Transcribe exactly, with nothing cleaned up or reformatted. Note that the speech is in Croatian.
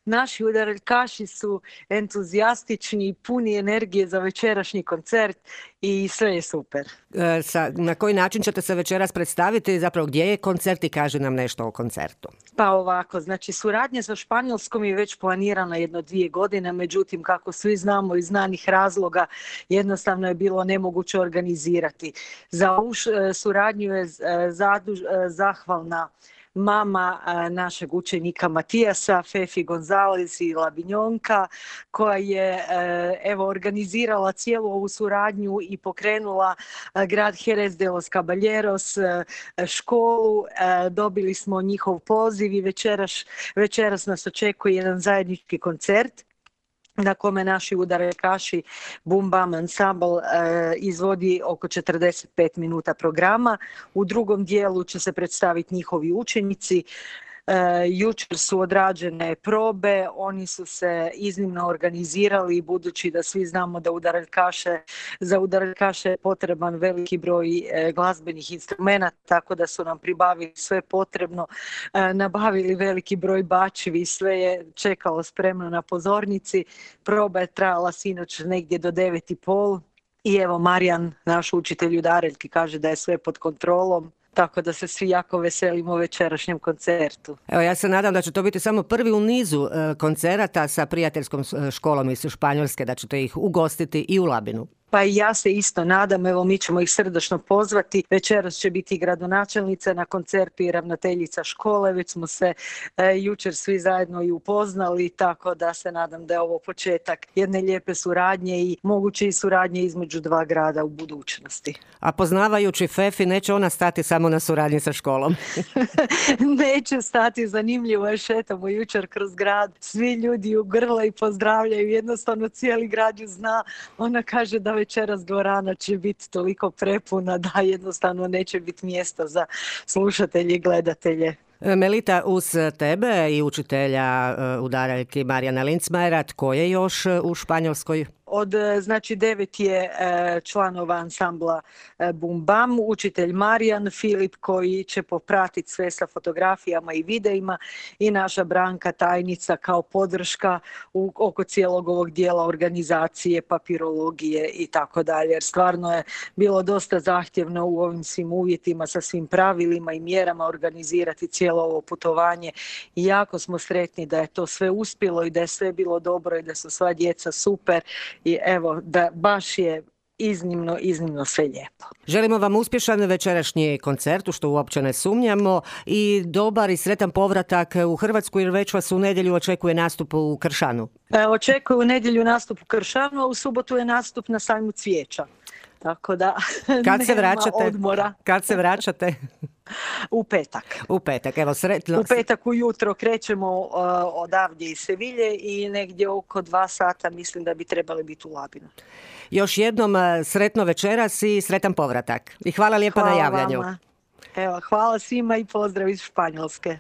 naši udarkaši su entuzijastični i puni energije za večerašnji koncert i sve je super. E, sa, na koji način ćete se večeras predstaviti, zapravo gdje je koncert i kaže nam nešto o koncertu? Pa ovako, znači suradnja sa Španjolskom je već planirana jedno dvije godine, međutim kako svi znamo iz znanih razloga jednostavno je bilo nemoguće organizirati. Za ovu suradnju je zaduž, zahvalna mama našeg učenika Matijasa, Fefi Gonzalez i Labinjonka, koja je evo organizirala cijelu ovu suradnju i pokrenula grad Jerez de los Caballeros, školu. Dobili smo njihov poziv i večeras, večeras nas očekuje jedan zajednički koncert na kome naši udarkaši Bum Bam Ensemble e, izvodi oko četrdeset pet minuta programa. U drugom dijelu će se predstaviti njihovi učenici. E, jučer su odrađene probe, oni su se iznimno organizirali, budući da svi znamo da udarkaše, za udarkaše je potreban veliki broj e, glazbenih instrumenata, tako da su nam pribavili sve potrebno, e, nabavili veliki broj bačevi, sve je čekalo spremno na pozornici. Proba je trajala sinoć negdje do devet i pol i evo Marijan, naš učitelj udareljki, kaže da je sve pod kontrolom. Tako da se svi jako veselimo večerašnjem koncertu. Evo, ja se nadam da će to biti samo prvi u nizu e, koncerata sa prijateljskom školom iz Španjolske, da ćete ih ugostiti i u Labinu. Pa i ja se isto nadam, evo mi ćemo ih srdačno pozvati. Večeras će biti gradonačelnica na koncertu i ravnateljica škole, već smo se e, jučer svi zajedno i upoznali, tako da se nadam da je ovo početak jedne lijepe suradnje i moguće i suradnje između dva grada u budućnosti. A poznavajući Fefi, neće ona stati samo na suradnji sa školom? Neće stati, zanimljivo je, šetamo jučer kroz grad, svi ljudi u grla i pozdravljaju, jednostavno cijeli grad ju zna, ona kaže da večeras dvorana će biti toliko prepuna da jednostavno neće biti mjesta za slušatelje i gledatelje. Melita, uz tebe i učitelja udaraljki Marijana Lindsmajera, tko je još u Španjolskoj? Od, znači, devet je e, članova ansambla e, Bum Bam, učitelj Marijan, Filip koji će popratiti sve sa fotografijama i videima i naša Branka, tajnica, kao podrška u, oko cijelog ovog dijela organizacije, papirologije i tako dalje. Jer stvarno je bilo dosta zahtjevno u ovim svim uvjetima sa svim pravilima i mjerama organizirati cijelo ovo putovanje i jako smo sretni da je to sve uspjelo i da je sve bilo dobro i da su sva djeca super. I evo, da baš je iznimno, iznimno sve lijepo. Želimo vam uspješan večerašnji koncert, u što uopće ne sumnjamo, i dobar i sretan povratak u Hrvatsku, jer već vas u nedjelju očekuje nastup u Kršanu. E, očekuje u nedjelju nastup u Kršanu, a u subotu je nastup na sajmu cvijeća. Tako da kad se vraćate? Odmora. Kad se vraćate? U petak. U petak, evo sretno. U petak ujutro krećemo uh, odavdje iz Sevilje i negdje oko dva sata mislim da bi trebali biti u Labinu. Još jednom sretno večeras i sretan povratak. I hvala lijepa hvala na javljanju. Vama. Evo, hvala svima i pozdrav iz Španjolske.